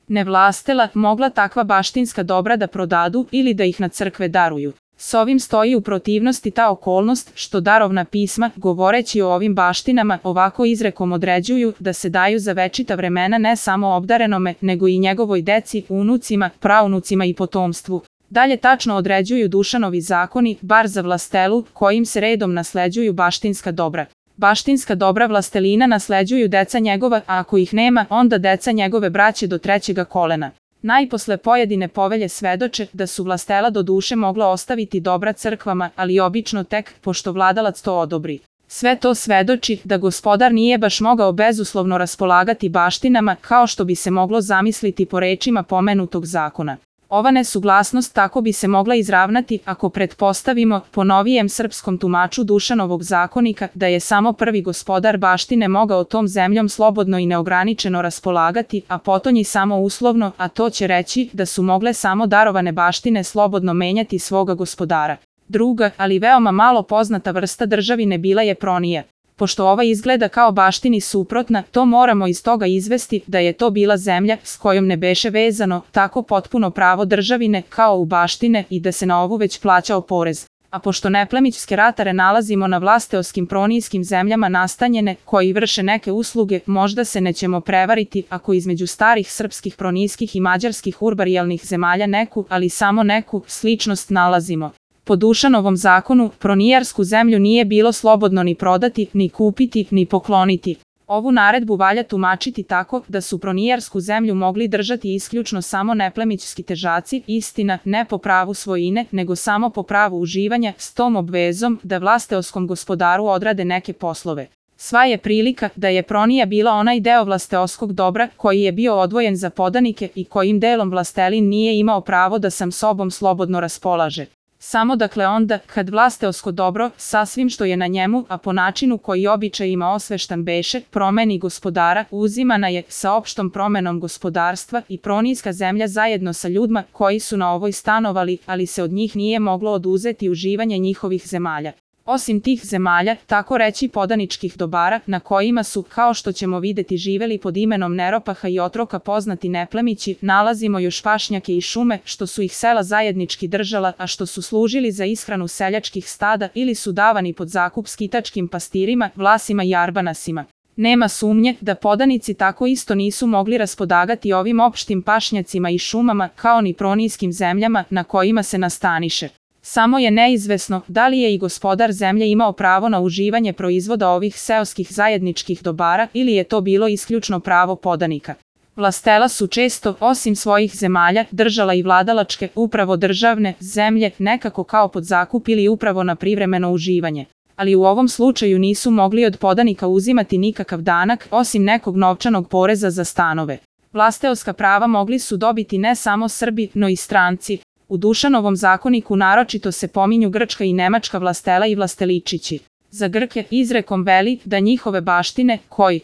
ne vlastela, mogla takva baštinska dobra da prodadu ili da ih na crkve daruju. S ovim stoji u protivnosti ta okolnost što darovna pisma, govoreći o ovim baštinama, ovako izrekom određuju da se daju za večita vremena ne samo obdarenome, nego i njegovoj deci, unucima, praunucima i potomstvu. Dalje tačno određuju Dušanovi zakoni, bar za vlastelu, kojim se redom nasleđuju baštinska dobra. Baštinska dobra vlastelina nasleđuju deca njegova, a ako ih nema, onda deca njegove braće do 3. kolena. Najposle pojedine povelje svedoče da su vlastela do duše mogla ostaviti dobra crkvama, ali obično tek pošto vladalac to odobri. Sve to svedoči da gospodar nije baš mogao bezuslovno raspolagati baštinama kao što bi se moglo zamisliti po rečima pomenutog zakona. Ova nesuglasnost tako bi se mogla izravnati ako pretpostavimo po novijem srpskom tumaču Dušanovog zakonika da je samo prvi gospodar baštine mogao tom zemljom slobodno i neograničeno raspolagati, a potonji samo uslovno, a to će reći da su mogle samo darovane baštine slobodno menjati svoga gospodara. Druga, ali veoma malo poznata vrsta državine bila je pronija. Pošto ova izgleda kao baštini suprotna, to moramo iz toga izvesti da je to bila zemlja s kojom ne beše vezano tako potpuno pravo državine kao u baštine i da se na ovu već plaćao porez. A pošto neplemićske ratare nalazimo na vlasteoskim pronijskim zemljama nastanjene koji vrše neke usluge, možda se nećemo prevariti ako između starih srpskih pronijskih i mađarskih urbarijalnih zemalja neku, ali samo neku, sličnost nalazimo. Po Dušanovom zakonu, pronijarsku zemlju nije bilo slobodno ni prodati, ni kupiti, ni pokloniti. Ovu naredbu valja tumačiti tako da su pronijarsku zemlju mogli držati isključno samo neplemićski težaci, istina, ne po pravu svojine, nego samo po pravu uživanja, s tom obvezom da vlasteoskom gospodaru odrade neke poslove. Sva je prilika da je pronija bila onaj deo vlasteoskog dobra koji je bio odvojen za podanike i kojim delom vlastelin nije imao pravo da sam sobom slobodno raspolaže. Samo dakle onda, kad vlasteosko dobro, sa svim što je na njemu, a po načinu koji običajima osveštan beše, promeni gospodara, uzimana je sa opštom promenom gospodarstva i pronijska zemlja zajedno sa ljudima koji su na ovoj stanovali, ali se od njih nije moglo oduzeti uživanje njihovih zemalja. Osim tih zemalja, tako reći podaničkih dobara, na kojima su, kao što ćemo videti, živeli pod imenom Neropaha i otroka poznati neplemići, nalazimo još pašnjake i šume, što su ih sela zajednički držala, a što su služili za ishranu seljačkih stada ili su davani pod zakup skitačkim pastirima, vlasima i arbanasima. Nema sumnje da podanici tako isto nisu mogli raspodagati ovim opštim pašnjacima i šumama, kao ni pronijskim zemljama na kojima se nastaniše. Samo je neizvesno da li je i gospodar zemlje imao pravo na uživanje proizvoda ovih seoskih zajedničkih dobara ili je to bilo isključno pravo podanika. Vlastela su često, osim svojih zemalja, držala i vladalačke, upravo državne, zemlje, nekako kao pod zakup ili upravo na privremeno uživanje. Ali u ovom slučaju nisu mogli od podanika uzimati nikakav danak, osim nekog novčanog poreza za stanove. Vlasteoska prava mogli su dobiti ne samo Srbi, no i stranci. U Dušanovom zakoniku naročito se pominju grčka i nemačka vlastela i vlasteličići. Za Grke izrekom veli da njihove baštine, koji